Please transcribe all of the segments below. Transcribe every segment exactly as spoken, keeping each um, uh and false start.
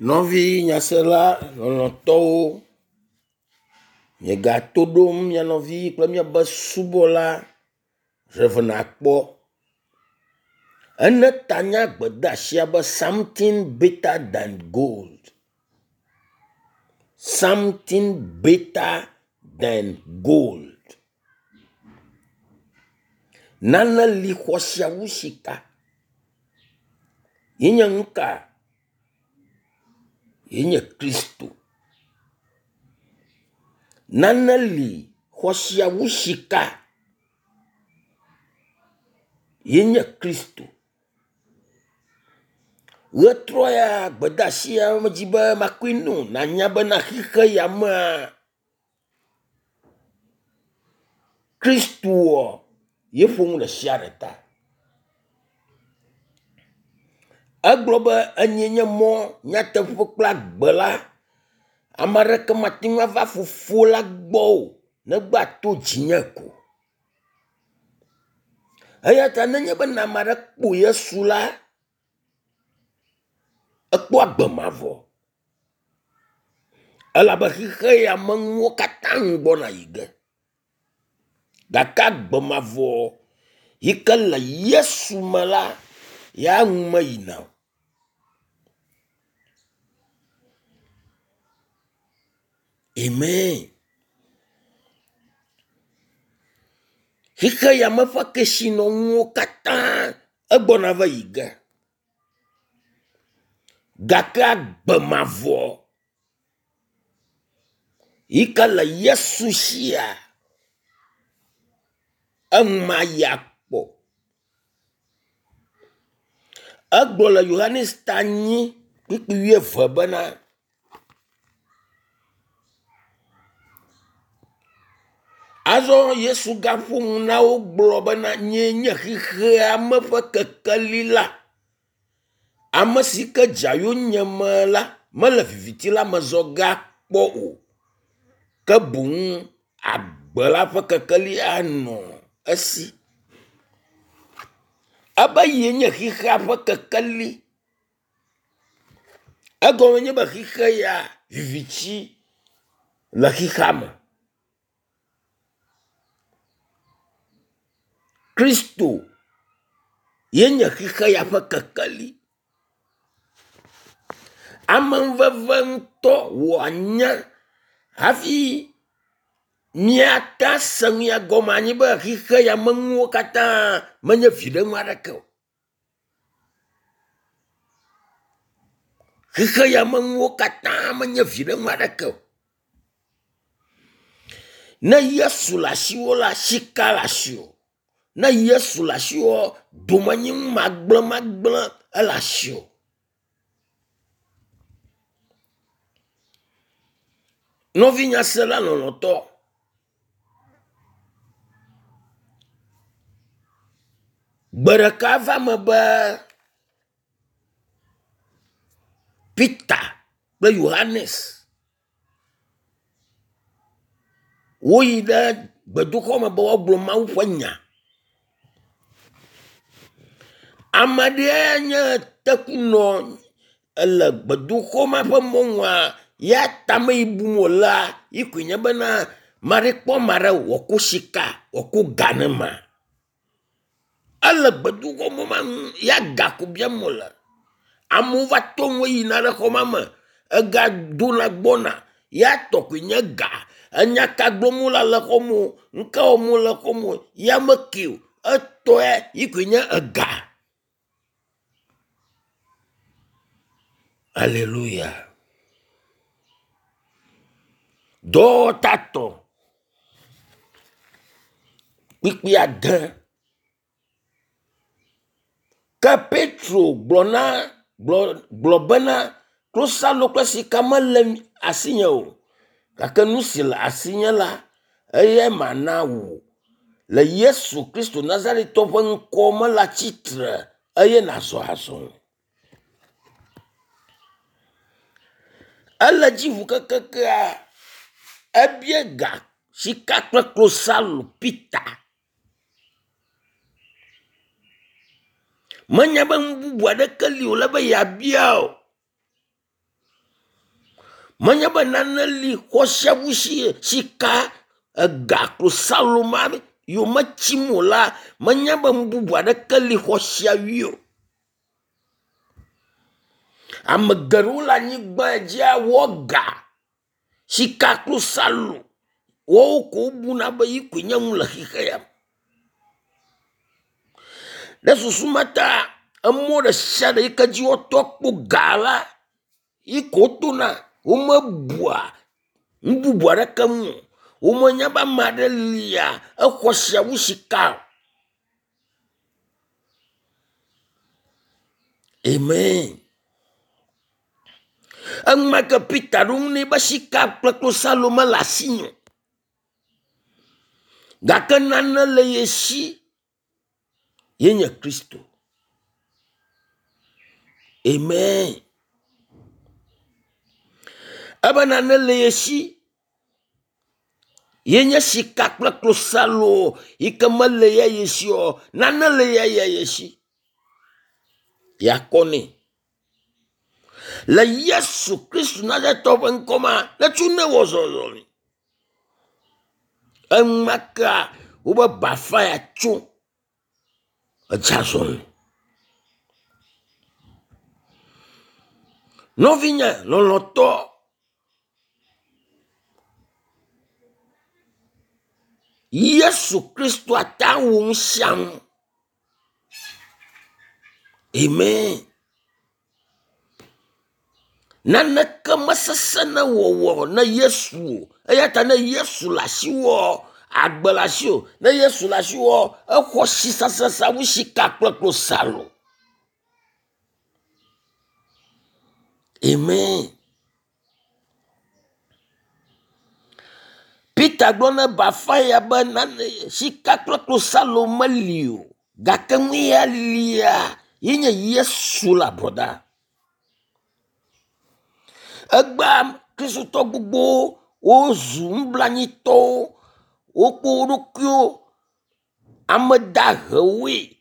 Nɔvi nyasela lɔlɔ̃tɔwo, miegato ɖom mia nɔvi kple miaƒe subɔla Rev. Akpɔ. Ene ta na gbedeasia be “Something better than gold, something better than gold”. Nane li xɔasi wu sika. Ye nye nu ka? Ye nye Kristo. Nane li xɔasi wu sika. Ye nye Kristo. Ʋetrɔ ya gbedeasi ya medzi be makɔe no nanya bena xixe ya mea Kristoa ye ƒo nu ɖe sia ɖe ta. Egblɔ be enye nye mɔ, nyateƒe kple agbe la. Ame aɖeke mate ŋu ava fofo la gbɔ o negbe ato dzinye ko. Eya ta nenye be ame aɖe kpɔ Yesu la, ekpɔ agbe mavɔ elabe xixe ya me nuwo katã nu gbɔna yi ge. Gake agbe mavɔ yi ke le Yesu me la, ya nu meyina o. Amen. Xixe ya me ƒe kesinɔnuwo katã egbɔna va yi ge. Gake agbe mavɔ yi ke le Yesu sia, enu mayi akpɔ. Egblɔ le Yohanes ta nyi kpukpui wuieve bena azɔ Yesu gaƒo nu na wo gblɔ bena nyee nye xexea me ƒe kekeli la. Ame si ke dza yonyeme la mele viviti la me zɔ ge akpɔ o ke boŋ agbe la ƒe kekeli anɔ esi. Ebe ye nye xexea ƒe kekeli. Egɔme nye be xixe ya viviti le xixea me. Kristo ye nye xixe ya ƒe kekeli. Amenuveve ŋutɔ wòanye hafi míate ase nu ya gɔme anyi be xixe ya me nuwo katã menye viɖenu aɖeke o. Xixe ya me nuwo katã menye viɖenu aɖeke o. Ne Yesu le asiwò la, sika le asiwò. Ne Yesu le asiwò, domenyinu magblẽmagblẽ ele asiwò. Nɔvi nyasela lɔlɔ̃tɔ, gbe ɖeka va me be Peter kple Yohanes woyi ɖe gbedoxɔ me be woagblɔ Mawu ƒe nya. Ame ɖee nye tekunɔ ele gbedoxɔ ma ƒe mɔnua ya tame yi bum wolea yi koe nye bena maɖe kpɔ ame aɖe wòako sika wòako ga ne ma. Ele gbedoxɔ mɔ ma nu ya ga ko biam wòle. Amewo va to ŋu yina ɖe xɔ ma me. Ega dona gbɔna ya tɔ koe nye ga. Enya ka gblɔm wole le xɔ me o, nu ka wɔm wole le xɔ me o, ya meke o. Etɔe yi koe nye ega. Aleluya. Dɔwɔwɔ tatɔ kpukpui ade. Ke Petro gblɔ na gblɔ gblɔ bena klosalo kple sika mele asinye o gake nu si le asinye la eyae mana wò. Le Yesu Kristo Nazaretɔ ƒe ŋkɔ me la tsitre eye nàzɔ azɔli. Ele dzi ŋu kekekea ebie ga sika kple klosalo Peter. Menya be nu bubu aɖeke li wòle be yeabia o. Menye be nane li xɔ sia wu si sika ega klosalo ma yometsim o la, menye be nu bubu aɖeke li xɔ sia wui o. Ame geɖewo le anyigba dzia wɔ ga, sika klosalo woawo ko wobuna be yi koe nye nu le xixe ya me. Ɖe susu ma ta emɔ ɖe sia ɖe yi ke dzi woato akpɔ ga la yi ko wotona. Womebua nu bubu aɖeke ŋu o. Womenya be ame aɖe lia exɔ sia wu sika o. Amen. Enumake Peter ɖo ŋu nɛ be sika kple klosalo mele asinye o. Gake nane le ye si ye nye Kristo. Amen. Ebe nane le ye si ye nye sika kple klosalo yi ke mele ya ye si o. Nane le ya ya ye si. Yakɔ nɛ. Le Yesu Kristu Nazaretɔ ƒe ŋkɔ ma, netso ne wɔ zɔzɔli. Enumakea wobe bafa ya tso edze azɔli. Nɔvinye lɔlɔtɔ, Yesu Kristu ate ŋu nu sia nu. Amen. Naneke mesesẽ ne wɔwɔ ne Yesu o. Eya ta ne Yesu le asiwò, agbe le asiwò. Ne Yesu le asiwò, exɔ si sasasa wu sika kple klosalo. Amen. Peter gblɔ ne bafa ya be nane sika kple klosalo meli o. Gake nu ya lia ye nye Yesu la brɔda. Egbea Kristotɔ gbogbowo wozu nublanitɔwo, wokpɔ wo ɖokuiwo ame dahewoe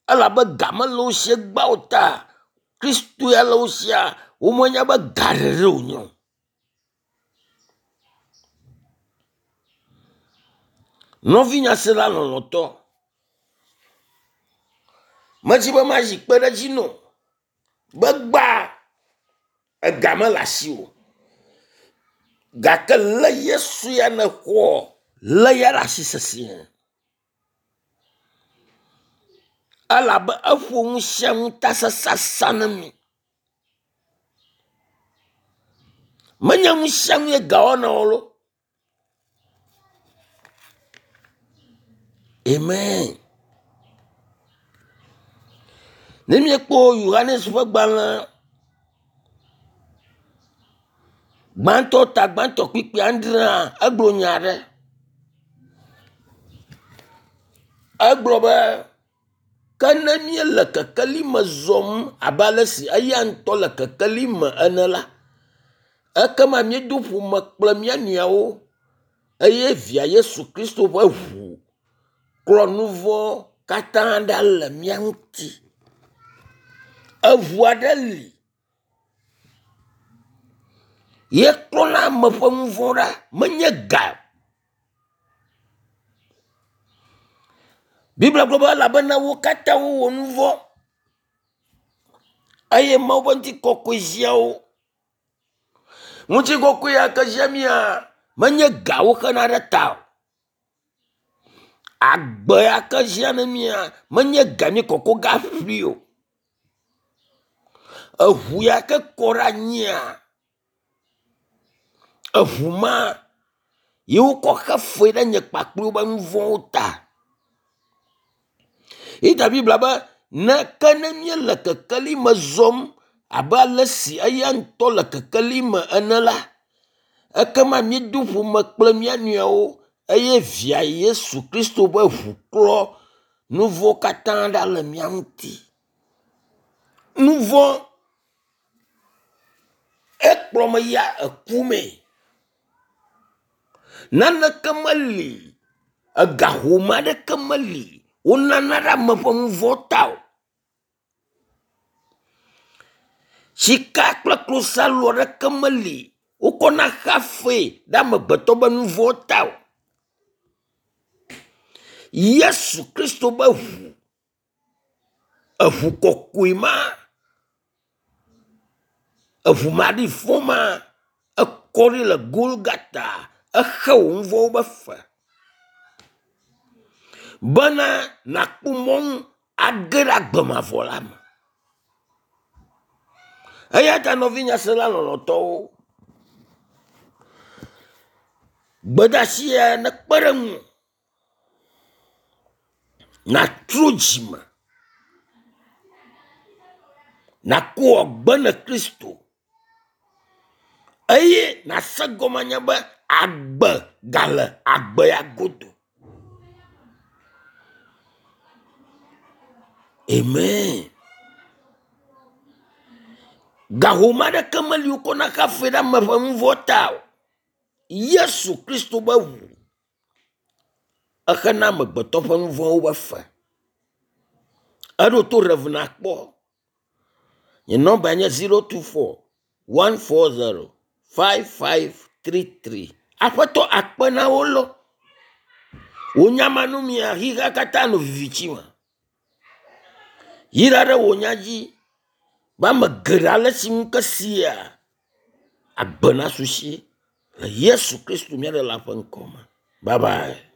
elabe ga mele wo si egbea o ta Kristo ya le wo sia womenya be ga ɖeɖe wònye o. Nɔvinyasela lɔlɔ̃tɔ, medzi be mazi kpe ɖe edzi no be gbaa ega mele asiwò o. Gake le Yesu ya nexɔ lé ya ɖe asi sesĩe. Elabe eƒo nu sia nu ta sasasa ne mi. Menye nu sia nu ye ga wɔna o lo. Amen. Ne míekpɔ Yohanes ƒe gbalẽ gbãtɔ ta gbãtɔ kpikpi adrea, egblɔ nya aɖe. Egblɔ be ke ne míele kekeli me zɔm abe ale si eya ŋutɔ le kekeli me ene la, ekema míedo ƒome kple mía nɔewo eye via Yesu Kristo ƒe ʋu klɔ nu vɔ̃ katã ɖa le mía ŋuti. Eʋu aɖe li ye klɔna ame ƒe nu vɔ̃ ɖa, menye ga o. Biblia gblɔ be elabena wo katã wowɔ nu vɔ̃ eye Mawu ƒe ŋutikɔkɔe zia wo. Ŋutikɔkɔe ya ke zia mía menye ga woxena ɖe ta o. Agbe ya ke zia ne mía menye ga mi kɔkɔ ga ƒli o. Eʋu ya ke kɔ ɖe anyia, eʋu ma ye wokɔ xe fe ɖe nye kpakple woƒe nu vɔ̃wo ta. Yi ta Biblia be ne ke ne míele kekeli me zɔm abe ale si eya ŋutɔ le kekeli me ene la, ekema míedo ƒome kple mía nɔewo eye via Yesu Kristo ƒe ʋu klɔ nu vɔ̃ katã ɖa le mía ŋuti. Nu vɔ̃ ekplɔ me ya eku me. Naneke meli, ega home aɖeke meli wonana ɖe ame ƒe nu vɔ̃ ta o. Sika kple klosalo aɖeke meli Wokɔna xafe ɖe amegbetɔ be nu vɔ̃ ta o. Yesu Kristo be ʋu, eʋu kɔkɔe ma, eʋu maɖifɔ ma, ekɔ ɖi le Golgata, exe wò nu vɔ̃wo be fe bena nàkpɔ mɔnu age ɖe agbe mavɔ la me. Eya ta nɔvi nyasela lɔlɔ̃tɔwo, gbedeasi ya nekpe ɖe ŋuwò nàtrɔ dzime, nàko agbe ne Kristo eye nàse gɔme anya be agbe gale agbe ya godo. Amen. Gahome aɖeke meli wokɔna xafe ɖe ame ƒe nu vɔ̃ ta o. Yesu Kristo be ʋu exena amegbetɔ ƒe nu vɔ̃wo be fe. Eɖo to Rev nakpɔ. Nye nɔmba nye zero two four one four zero five five three three. Aƒetɔ akpe na wo lɔ. Wò nyamanumia xixea katã nɔ viviti me. Yra ɖe wò nya dzi be ame geɖe ale si ŋu ke sia agbe nasu si le Yesu Kristo mía Ɖela ƒe ŋkɔ me. Bye bye.